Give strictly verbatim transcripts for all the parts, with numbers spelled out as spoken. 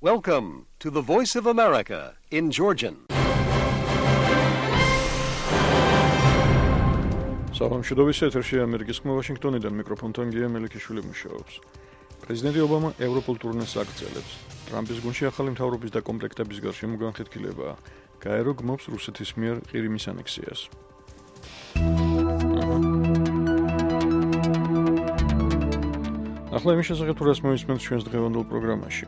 Welcome to the Voice of America in Georgian. Სამშობლოში ეთერში ამერიკის ხმა ვაშინგტონიდან მიკროფონთან გია მელიქიშვილი მუშაობს. პრეზიდენტი ობამა ევროპულ ტურნეს აგრძელებს. ტრამპის გუნდში ახალი მთავრობის და კომპლექტების გარშემო განხეთქილებაა. გაერო გმობს რუსეთის მიერ ყირიმის ანექსიას. ახლა იმის შესახებ თუ რას მოვისმენთ ჩვენს დღევანდელ პროგრამაში.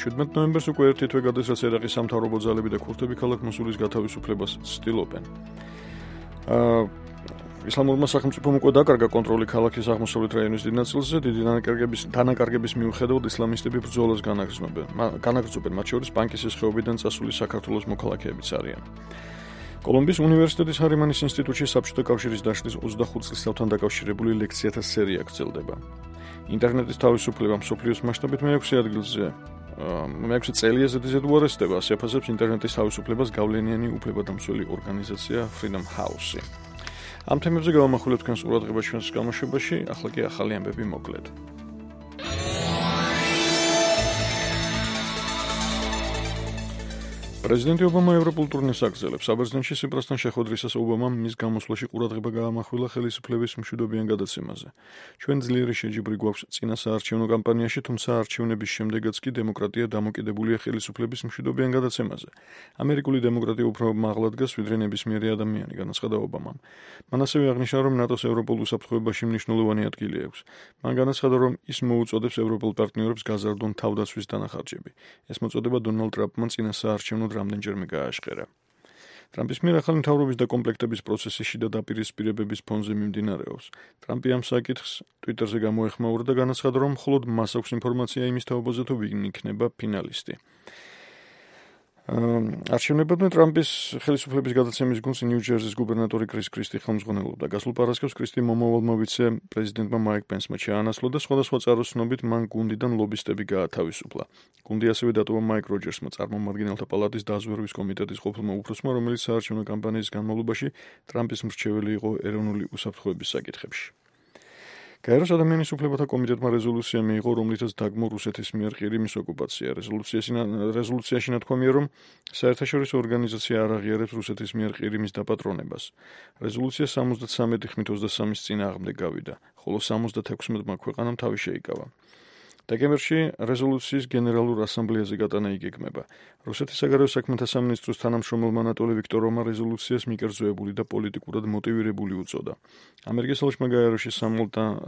შვიდმეტ ნოემბერს უკვე ერთი თვე გადის, რაც ერაყის სამთავრობო ძალები და ქურთები ქალაქ მოსულის გათავისუფლებას ცდილობენ. აა ისლამურმა სახელმწიფომ უკვე დაკარგა კონტროლი ქალაქის აღმოსავლეთ რაიონის დიდ ნაწილზე, დიდი დანაკარგების დანაკარგების მიუხედავად ისლამისტები ბრძოლას განაგრძობენ. განაგრძობენ, მათ შორის პანკისის ხეობიდან წასული საქართველოს მოქალაქეებიც არიან. კოლუმბიის უნივერსიტეტის ჰარიმანის ინსტიტუტში საბჭოთა კავშირის დაშლის ოცდახუთ წლისთავთან დაკავშირებული ლექციათა სერია გრძელდება. ინტერნეტის თავისუფლება მსოფლიოს მასშტაბით მეექვსე ადგილზე მეექვსე წელია ზედიზედ უარესდება, ასეაფასებს ინტერნეტის თავისუფლებას გავლენიანი უფლებადამცველი ორგანიზაცია Freedom House-ი. ამ თემებზე გავამახვილებთ თქვენს ყურადღებას ჩვენს გამოშვებაში, ახლა კი ახალი ამბები მოკლედ. პრეზიდენტი ობამა ევროპულ ტურნეს აგრძელებს. საბერძნეთში სიპრასთან შეხვედრისას ობამამ მის გამოსვლაში ყურადღება გაამახვილა ხელისუფლების მშვიდობიან გადაცემაზე. ჩვენ ძლიერი შეჯიბრი გვაქვს წინა საარჩევნო კამპანიაში, თუმცა არჩევნების შემდეგაც კი დემოკრატია დამოკიდებულია ხელისუფლების მშვიდობიან გადაცემაზე. ამერიკული დემოკრატია უფრო მაღლა დგას, ვიდრე ნებისმიერი ადამიანი, განაცხადა ობამამ. მან ასევე აღნიშნა, რომ ნატოს ევროპულ უსაფრთხოებაში მნიშვნელოვანი ადგილი აქვს. მან განაცხადა, რომ ის მოუწოდებს ევროპულ პარტნიორებს გაზარდონ თავდაცვის დანახარჯები. ეს მოწოდება დონალდ ტრამპმა წინა საარჩევნო რამდენჯერმე გააშხერა. ტრამპის მიერ ახალი მთავრობის და კომპლექტების პროცესი შიდა დაპირისპირებების ფონზე მიმდინარეობს. ტრამპი ამ საკითხს ტვიტერზე გამოეხმაურა და განაცხადა, რომ მხოლოდ მას აქვს ინფორმაცია იმის თაობაზე, თუ ვინ იქნება ფინალისტი. არჩევნებამდე ტრამპის ხელისუფლების გადაცემის გუნდს ნიუ-ჯერზის გუბერნატორი კრის კრისტი ხელმძღვანელობდა. გასულ პარასკევს კრისტი მომავალმა ვიცე-პრეზიდენტმა მაიკ პენსმა ჩაანაცვლა და სხვადასხვა წყაროს ცნობით მან გუნდიდან ლობისტები გაათავისუფლა. გუნდი ასევე დატოვა მაიკ როჯერსმა, წარმომადგენელთა პალატის დაზვერვის კომიტეტის ყოფილმა უფროსმა, რომელიც საარჩევნო კამპანიის განმავლობაში ტრამპის მრჩეველი იყო ეროვნული უსაფრთხოების საკითხებში. გაეროს ადამიანის უფლებათა კომიტეტმა რეზოლუცია მიიღო, რომლითაც დაგმო რუსეთის მიერ ყირიმის ოკუპაცია. რეზოლუციაში ნათქვამია, რომ საერთაშორისო ორგანიზაცია არ აღიარებს რუსეთის მიერ ყირიმის დაპატრონებას. რეზოლუცია სამოცდათსამეტი ხმით ოცდასამის წინააღმდეგ გავიდა, ხოლო სამოცდათექვსმეტმა ქვეყანამ თავი შეიკავა. დეკემბერში რეზოლუციის გენერალურ ასამბლეაზე გატანა იგეგმება. რუსეთის საგარეო საქმეთა სამინისტროს თანამშრომელმა ანატოლი ვიქტოროვმა რეზოლუციას მიკერძოებული და პოლიტიკურად მოტივირებული უწოდა. ამერიკის საელჩმა გაეროში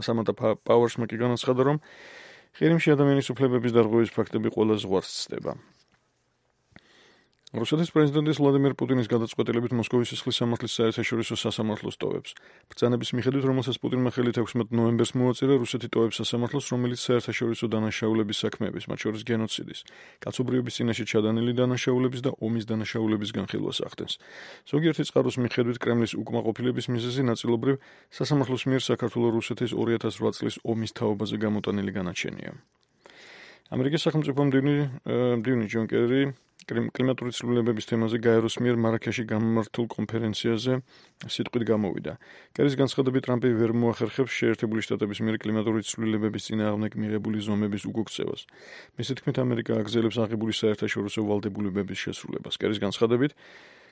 სამანტა პაუერსმა კი განაცხადა, რომ ყირიმში ადამიანის უფლებების დარღვევის ფაქტები ყველა ზღვარს ცდება. რუსეთის პრეზიდენტის ვლადიმერ პუტინის გადაწყვეტილებით მოსკოვის სისხლის სამართლის საერთაშორისო სასამართლოს ტოვებს. ბრძანების მიხედვით, რომელსაც პუტინმა ხელი თექვსმეტ ნოემბერს მოაწერა, რუსეთი ტოვებს სასამართლოს, რომელიც საერთაშორისო დანაშაულების საქმეების, მათ შორის გენოციდის, კაცობრიობის წინაშე ჩადანილი დანაშაულების და ომის დანაშაულების განხილვას ახდენს. ზოგიერთი წყაროს მიხედვით, კრემლის უკმაყოფილების მიზეზი ნაწილობრივ სასამართლოს მიერ საქართველო-რუსეთის ორი ათას რვა წლის ომის თაობაზე გამოტანილი განაჩენია. ამერიკის სახელმწიფო მდივანი ჯონ კერი კლიმატური ცვლილებების თემაზე გაეროს მიერ მარაქეში გამართულ კონფერენციაზე სიტყვით გამოვიდა. კერის განცხადებით, ტრამპი ვერ მოახერხებს შეერთებული შტატების მიერ კლიმატური ცვლილებების წინააღმდეგ მიღებული ზომების უგოქცევას. მისი თქმით, ამერიკა აგრძელებს აღებული საერთაშორისო ვალდებულებების შესრულებას. კერის განცხადებით,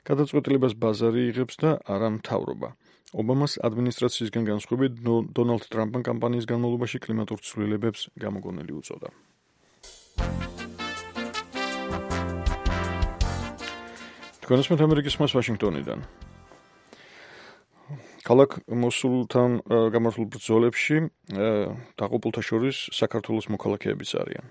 გადაწყვეტილებას ბაზარი იღებს და არა მთავრობა. ობამას ადმინისტრაციისგან განსხვავებით, დონალდ ტრამპმა კამპანიის განმავლობაში კლიმატურ ცვლილებებს გამოგონილი უწოდა. თქვენსმეთ ამერიკის ხმას ვაშინგტონიდან. ქალაქ მოსულთან გამართულ ბრძოლებში დაღუპულთა შორის საქართველოს მოქალაქეებიც არიან.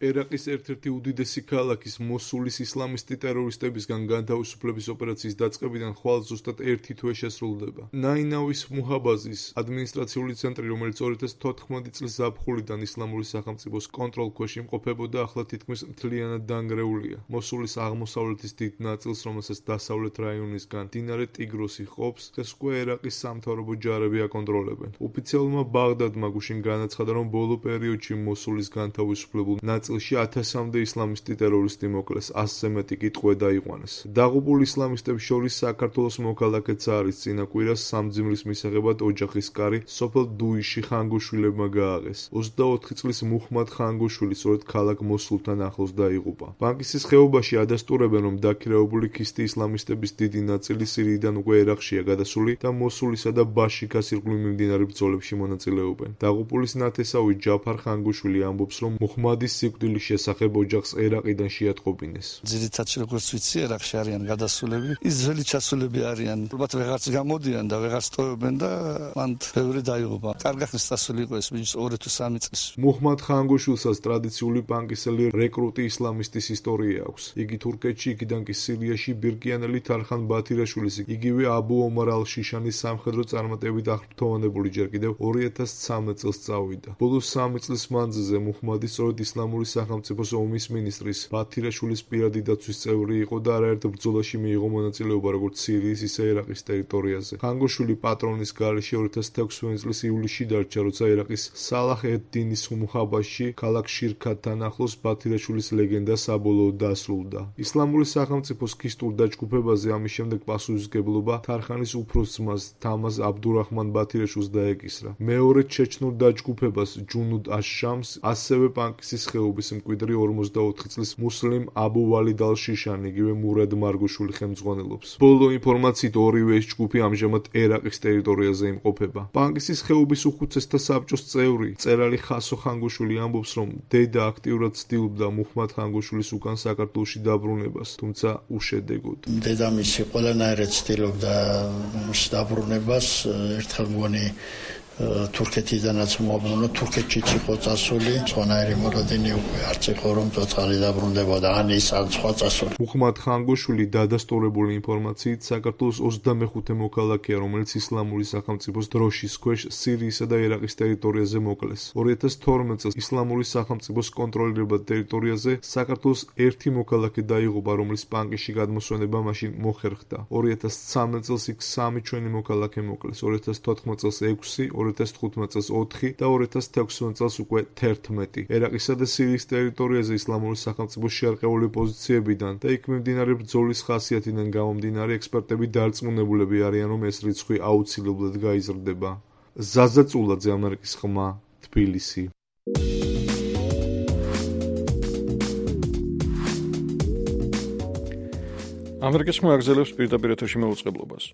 ერაყის ერთ-ერთი უდიდესი ქალაქის მოსულის ისლამისტი ტერორისტებისგან განთავისუფლების ოპერაციის დაწყებიდან ხვალ ზუსტად ერთი თვე შესრულდება. ნაინავის მუჰაბაზის ადმინისტრაციული ცენტრი, რომელიც ორი ათას თოთხმეტი წლის ზაფხულიდან ისლამური სახელმწიფოს კონტროლქვეშ იმყოფებოდა, ახლა თითქმის მთლიანად დანგრეულია. მოსულის აღმოსავლეთის დიდ ნაწილს, რომელსაც დასავლეთ რაიონისგან მდინარე ტიგროსი ჰყოფს, დღეს უკვე ერაყის სამთავრობო ჯარები აკონტროლებენ. ოფიციალურმა ბაღდადმა გუშინ განაცხადა, რომ ბოლო პერიოდში მოსულის განთავისუფლებულ ნაწილ წელში ათასამდე ისლამისტი ტერორისტი მოკლეს, ასზე მეტი კი ტყვე დაიყვანეს. დაღუპულ ისლამისტებს შორის საქართველოს მოქალაქეც არის. წინა კვირას სამძიმრის მისაღებად ოჯახის კარი სოფელ დუიში ხანგუშვილებმა გააღეს. ოცდაოთხი წლის მუჰმად ხანგუშვილი სწორედ ქალაქ მოსულთან ახლოს დაიღუპა. ბანკისის ხეობაში ადასტურებენ, რომ დაქირავებული ქისტი ისლამისტების დიდი ნაწილი სირიიდან უკვე ერაყშია გადასული და მოსულისა და ბაშიქას ირგვლივ მიმდინარე ბრძოლებში მონაწილეობენ. დაღუპულის ნათესავი ჯაფარ ხანგუშვილი ამბობს, რომ მუჰმადის სიკვდილის შესახებ ოჯახს ერაყიდან შეატყობინეს. ძირითადად როგორც ვიცი, ერაყში არიან გადასულები, ისრაელი ჩასულები არიან. ალბათ ვეღარც გამოდიან და ვეღარც ტოვებენ და მან ბევრი დაიღუპა. კარგი ხნის დასული იყო ეს ბიჭი ორი თუ სამი წლის. მუჰმად ხანგუშვილსაც ტრადიციული პანკისელი რეკრუტი ისლამისტის ისტორია აქვს. იგი თურქეთში, იქიდან კი სირიაში ბირკიანელი თარხან ბათირაშვილის, იგივე აბუ ომარ ალ-შიშანის სამხედრო წარმატებით აღფრთოვანებული ჯერ კიდევ ორი ათას ცხრამეტ წელს წავიდა. ბოლო სამი წლის მანძილზე მუჰმადი სწორედ ისლამური სახელმწიფოს ომის მინისტრის ბათირაშვილის პირადი დაცვის წევრი იყო და არაერთ ბრძოლაში მიიღო მონაწილეობა როგორც სირიის, ისე ერაყის ტერიტორიაზე. ხანგუშვილი პატრონის გარეშე ორი ათას თექვსმეტ წლის ივლისში დარჩა, როცა ერაყის სალაჰ ედ-დინის მუჰაბაში, ქალაქ შირქათთან ახლოს ბათირაშვილის ლეგენდა საბოლოოდ დასრულდა. ისლამური სახელმწიფოს ქისტურ დაჯგუფებაზე ამის შემდეგ პასუხისმგებლობა თარხანის უფროს ძმას თამაზ აბდურაჰმან ბათირაშვილს დაეკისრა. მეორე ჩეჩნურ დაჯგუფებას ჯუნუდ აშ-შამს ასევე პანკისის ხეობის მკვიდრი ორმოცდაოთხი წლის მუსლიმ აბუ ვალიდ ალ-შიშანი, იგივე მურად მარგუშვილი ხელმძღვანელობს. ბოლო ინფორმაციით ორივე ეს ჯგუფი ამჟამად ერაყის ტერიტორიაზე იმყოფება. პანკისის ხეობის უხუცესთა საბჭოს წევრი მწერალი ხასო ხანგუშვილი ამბობს, რომ დედა აქტიურად ცდილობდა მუჰმად ხანგუშვილის უკან საქართველოში დაბრუნებას, თუმცა უშედეგოდ. დედამისი ყველანაირად ცდილობდა დაბრუნებას, ერთხელ მგონი თურქეთიდანაც მოაბრუნა, თურქეთშიც იყო წასული, სხვანაირი მოლოდინი უკვე არც იყო, რომ ცოცხალი დაბრუნდებოდა, ან ის ან სხვა წასული. მუჰმად ხანგუშვილი დადასტურებული ინფორმაციით საქართველოს ოცდამეხუთე მოქალაქეა, რომელიც ისლამური სახელმწიფოს დროშის ქვეშ სირიისა და ერაყის ტერიტორიაზე მოკლეს. ორი ათას თორმეტ წელს ისლამური სახელმწიფოს კონტროლირებად ტერიტორიაზე საქართველოს ერთი მოქალაქე დაიღუპა, რომლის პანკისში გადმოსვენება მაშინ მოხერხდა. ორი ათას ცხრამეტ წელს იქ სამი ჩვენი მოქალაქე მოკლეს, ორი ათას თოთხმეტ წელს ექვსი, ორი ათას თხუთმეტ წელს ოთხი და ორი ათას თექვსმეტ წელს უკვე თერთმეტი. ერაყისა და სირიის ტერიტორიაზე ისლამური სახელმწიფოს შერყეული პოზიციებიდან და იქ მიმდინარე ბრძოლის ხასიათიდან გამომდინარე ექსპერტები დარწმუნებულები არიან, რომ ეს რიცხვი აუცილებლად გაიზრდება. ზაზა წულაძე, ამერიკის ხმა, თბილისი. ამერიკის ხმა აგზელებს პირდაპირ ეთერში მოუწყებლობას.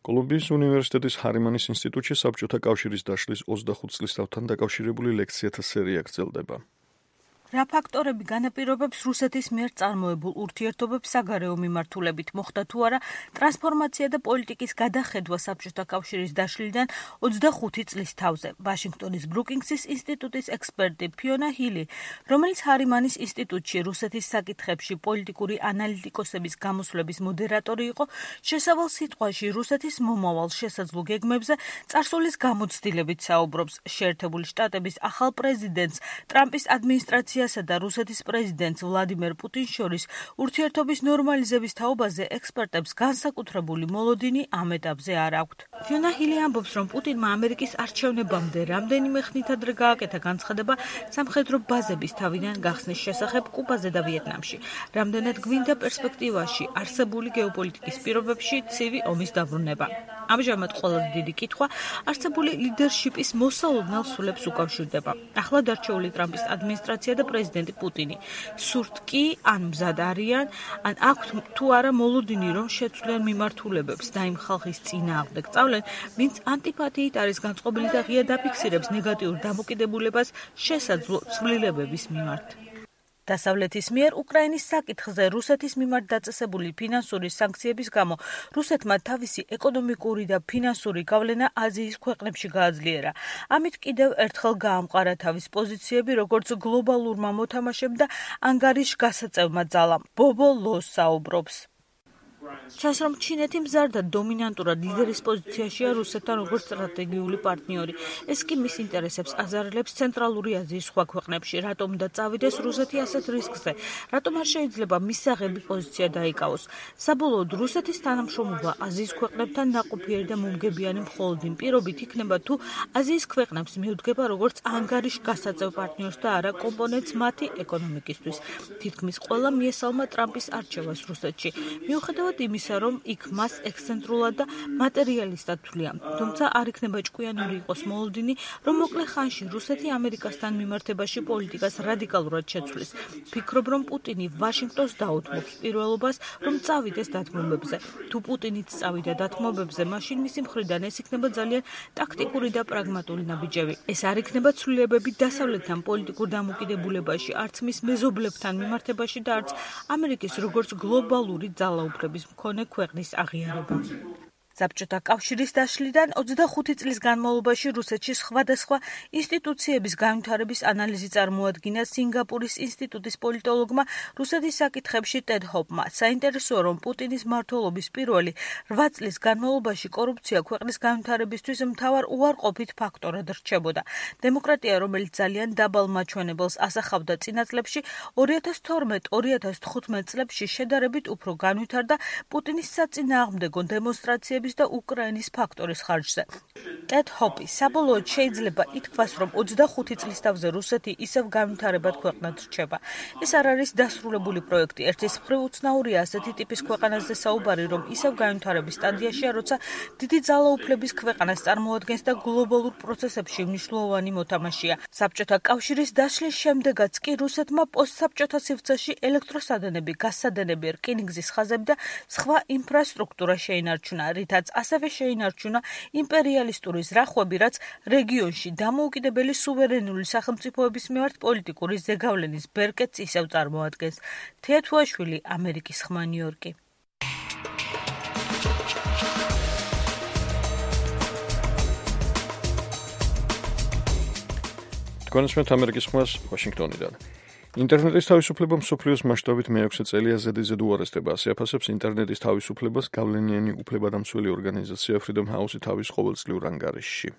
კოლუმბიის უნივერსიტეტის ჰარიმანის ინსტიტუტში საბჭოთა კავშირის დაშლის ოცდახუთ წლისთავთან დაკავშირებული ლექციათა სერია გრძელდება. რა ფაქტორები განაპირობებს რუსეთის მიერ წარმოებულ ურთიერთობებს საგარეო მიმართულებით, მოხდა თუ არა ტრანსფორმაცია და პოლიტიკის გადახედვა საბჭოთა კავშირის დაშლიდან ოცდახუთი წლის თავზე. ვაშინგტონის ბრუკინგსის ინსტიტუტის ექსპერტი ფიონა ჰილი, რომელიც ჰარიმანის ინსტიტუტში რუსეთის საკითხებში პოლიტიკური ანალიტიკოსების გამოსვლების მოდერატორი იყო, შესავალ სიტყვაში რუსეთის მომავალ შესაძლო გეგმებზე წარსულის გამოცდილებით საუბრობს. შეერთებული შტატების ახალ პრეზიდენტს ტრამპის ადმინისტრაცია და რუსეთის პრეზიდენტს ვლადიმერ პუტინს შორის ურთიერთობის ნორმალიზების თაობაზე ექსპერტებს განსაკუთრებული მოლოდინი ამ ეტაპზე არ აქვთ. ფიონა ჰილი ამბობს, რომ პუტინმა ამერიკის არჩევნებამდე რამდენიმე ხნით ადრე გააკეთა განცხადება სამხედრო ბაზების თავიდან გახსნის შესახებ კუბაზე და ვიეტნამში. რამდენად გვინდა პერსპექტივაში არსებული გეოპოლიტიკის პირობებში ცივი ომის დაბრუნება. ამჟამად ყველაზე დიდი კითხვა არსებული ლიდერშიპის მოსალოდნელ სულებს უკავშირდება. ახლად არჩეული ტრამპის ადმინისტრაცია და პრეზიდენტი პუტინი. სურთ კი ან მზად არიან, ან აქვთ თუ არა მოლოდინი, რომ შეცვლიან მიმართულებებს და იმ ხალხის წინააღმდეგ სწავლენ, ვინც ანტიპათიით არის განწყობილი და ღია დაფიქსირებს ნეგატიურ დამოკიდებულებას შესაძლო ცვლილებების მიმართ. დასავლეთის მიერ უკრაინის საკითხზე რუსეთის მიმართ დაწესებული ფინანსური სანქციების გამო რუსეთმა თავისი ეკონომიკური და ფინანსური გავლენა აზიის ქვეყნებში გააძლიერა. ამით კიდევ ერთხელ გაამყარა თავის პოზიციები როგორც გლობალურმა მოთამაშემ და ანგარიშგასაწევმა ძალამ. ბობო ლოს საუბრობს. ჩანს, რომ ჩინეთი მზარდა დომინანტურად ლიდერის პოზიციაშია რუსეთთან როგორც სტრატეგიული პარტნიორი. ეს კი მის ინტერესებს აზარელებს ცენტრალური აზიის სხვა ქვეყნებში. რატომ და წავიდეს რუსეთი ასეთ რისკზე? რატომ არ შეიძლება მისაღები პოზიცია დაიკავოს? საბოლოოდ რუსეთის თანამშრომლობა აზიის ქვეყნებთან ნაყოფიერი და მომგებიანი მხოლოდ იმ პირობით იქნება, თუ აზიის ქვეყნებს მიუდგება როგორც ანგარიშ გასაწევ პარტნიორს და არა კომპონენტს მათი ეკონომიკისთვის. თითქმის ყველა მიესალმა ტრამპის არჩევას რუსეთში. მიუხედავად იმისა, რომ იქ მას ექსცენტრულად და მატერიალისტად თვლიან. თუმცა არ იქნება ჭკვიანური იყოს მოლოდინი, რომ მოკლე ხანში რუსეთი ამერიკასთან მიმართებაში პოლიტიკას რადიკალურად შეცვლის. ფიქრობ, რომ პუტინი ვაშინგტონს დაუთმობს პირველობას, რომ წავიდეს დათმობებზე. თუ პუტინიც წავიდა დათმობებზე, მაშინ მისი მხრიდან ეს იქნება ძალიან ტაქტიკური და პრაგმატული ნაბიჯები. ეს არ იქნება ცვლილებები დასავლეთთან პოლიტიკურ დამოკიდებულებაში, არც მის მეზობლებთან მიმართებაში და არც ამერიკის როგორც გლობალური ძალაუფლების მქონე ქვეყნის აღიარება. საბჭოთა კავშირის დაშლიდან ოცდახუთი წლის განმავლობაში რუსეთში სხვადასხვა ინსტიტუციების განვითარების ანალიზი წარმოადგინა სინგაპურის ინსტიტუტის პოლიტოლოგმა რუსეთის საკითხებში ტედ ჰოპმა. საინტერესოა, რომ პუტინის მმართველობის პირველი რვა წლის განმავლობაში კორუფცია ქვეყნის განვითარებისთვის მთავარ უარყოფით ფაქტორად რჩებოდა. დემოკრატია, რომელიც ძალიან დაბალ მაჩვენებელს ასახავდა წინა წლებში, ორი ათას თორმეტ ორი ათას თხუთმეტ წლებში შედარებით უფრო განვითარდა პუტინის საწინააღმდეგო დემონსტრაციების და უკრაინის ფაქტორის ხარჯზე. ტედ ჰოპი საბოლოოდ შეიძლება ითქვას, რომ ოცდახუთი წლის თავზე რუსეთი ისევ განვითარებად ქვეყნად რჩება. ეს არ არის დასრულებული პროექტი. ერთის მხრივ უცნაურია ასეთი ტიპის ქვეყანაზე საუბარი, რომ ისევ განვითარების სტადიაშია, როცა დიდი ძალაუფლების ქვეყანას წარმოადგენს და გლობალურ პროცესებში მნიშვნელოვანი მოთამაშეა. საბჭოთა კავშირის დაშლის შემდეგაც კი რუსეთმა პოსტსაბჭოთა სივრცეში ელექტროსადენები, გაზსადენები, რკინიგზის ხაზები და სხვა ინფრასტრუქტურა შეინარჩუნა, რითაც ასევე შეინარჩუნა იმპერიალისტური ზრახვები, რაც რეგიონში დამოუკიდებელი სუვერენული სახელმწიფოების მიმართ პოლიტიკური ზეგავლენის ბერკეტს ისევ წარმოადგენს. თეათუაშვილი, ამერიკის ხმა, ნიუ-იორკი. თქვენს ამერიკის ხმას ვაშინგტონიდან. ინტერნეტის თავისუფლება მსოფლიოს მასშტაბით მეექვსე წელია ზედიზედ უარესდება. ასე აფასებს ინტერნეტის თავისუფლებას გავლენიანი უფლებადამცველი ორგანიზაცია Freedom House თავის ყოველწლიურ ანგარიშში.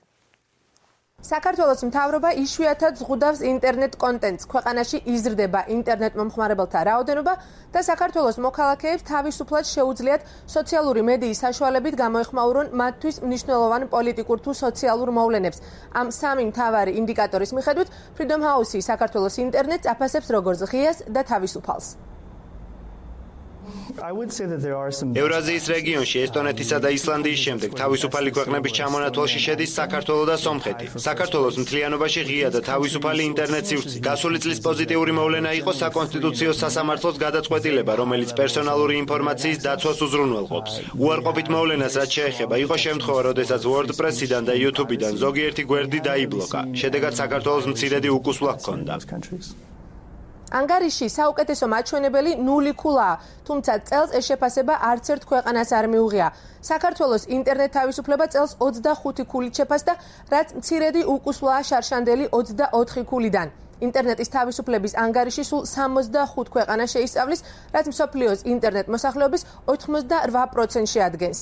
საქართველოს მთავრობა იშვიათად ზღუდავს ინტერნეტ კონტენტს. ქვეყანაში იზრდება ინტერნეტ მომხმარებელთა რაოდენობა და საქართველოს მოქალაქეებს თავისუფლად შეუძლიათ სოციალური მედიის საშუალებით გამოეხმაურონ მათთვის მნიშვნელოვან პოლიტიკურ თუ სოციალურ მოვლენებს. ამ სამი მთავარი ინდიკატორის მიხედვით Freedom House საქართველოს ინტერნეტს აფასებს როგორც ღიას და თავისუფალს. ევრაზიის რეგიონში ესტონეთისა და ისლანდიის შემდეგ თავისუფალი ქვეყნების ჩამონათვალში შედის საქართველო და სომხეთი. საქართველოს მთლიანობაში ღია და თავისუფალი ინტერნეტ სივრცე. გასული წლის პოზიტიური მოვლენა იყო საკონსტიტუციო სასამართლოს გადაწყვეტილება, რომელიც პერსონალური ინფორმაციის დაცვას უზრუნველყოფს. უარყოფით მოვლენას რაც შეეხება, იყო შემთხვევა, როდესაც WordPress-იდან და YouTube-იდან ზოგიერთი გვერდი დაიბლოკა. შედეგად საქართველოს მცირედი უკუსვლა ჰქონდა. ანგარიში საუკეთესო მაჩვენებელი ნული ქულაა, თუმცა წელს ეს შეფასება არც ერთ ქვეყანას არ მიუღია. საქართველოს ინტერნეტ თავისუფლება წელს ოცდახუთი ქულით შეფასდა, რაც მცირედი უკუსვლაა შარშანდელი ოცდაოთხი ქულიდან. ინტერნეტის თავისუფლების ანგარიში სულ სამოცდახუთ ქვეყანას შეისწავლის, რაც მსოფლიოს ინტერნეტ მოსახლეობის ოცდაოთხ პროცენტს შეადგენს.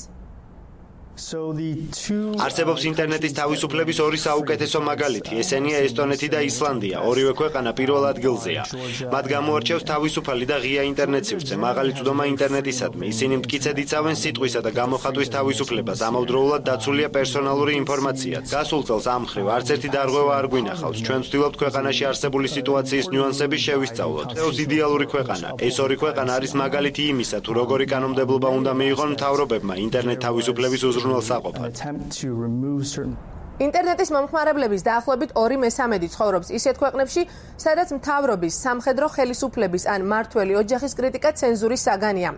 არსებობს ინტერნეტის თავისუფლების ორი საუკეთესო მაგალითი, ესენია ესტონეთი და ისლანდია. ორივე ქვეყანა პირველ ადგილზეა. მათ გამოარჩევს თავისუფალი და ღია ინტერნეტ სივრცე, მაღალი წვდომა ინტერნეტისადმი. ისინი მტკიცედ იცავენ სიტყვისა და გამოხატვის თავისუფლებას, ამავდროულად დაცულია პერსონალური ინფორმაციაც. გასულ წელს ამ მხრივ არც ერთი დარღვევა არ გვინახავს. ჩვენ ვცდილობთ ქვეყანაში არსებული სიტუაციის ნიუანსები შევისწავლოთ. ეს იდეალური ქვეყანა. ეს ორი ქვეყანა არის მაგალითი იმისა, თუ როგორი კანონმდებლობა უნდა მიიღონ მთავრობებმა ინტერნეტ თავისუფლების ინტერნეტის მომხმარებლების დაახლოებით ორი მესამედი ცხოვრობს ისეთ ქვეყნებში, სადაც მთავრობის, სამხედრო ხელისუფლების ან მმართველი ოჯახის კრიტიკა ცენზურის საგანია.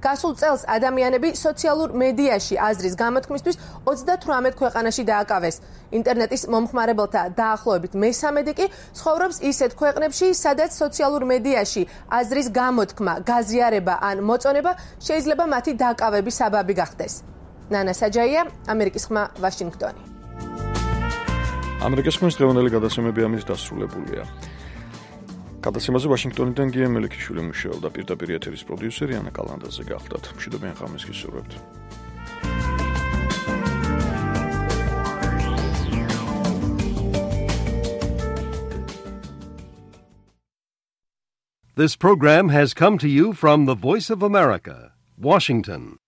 გასულ წელს ადამიანები სოციალურ მედიაში აზრის გამოთქმისთვის ოცდათვრამეტ ქვეყანაში დააკავეს. ინტერნეტის მომხმარებელთა დაახლოებით მესამედი კი ცხოვრობს ისეთ ქვეყნებში, სადაც სოციალურ მედიაში აზრის გამოთქმა, გაზიარება ან მოწონება შეიძლება მათი დაკავების საბაბი გახდეს. ნანა საჯაია, ამერიკის ხმა, ვაშინგტონი. ამერიკის ხმის დღევანდელი გადაცემები ამის დასრულებულია. გადაცემაზე ვაშინგტონიდან გია მელიქიშვილი მუშაობდა, პირდაპირ ეთერის პროდიუსერი ანა კალანდაძე გახლდათ. მშვიდობიან ღამეს გისურვებთ. This program has come to you from the Voice of America, Washington.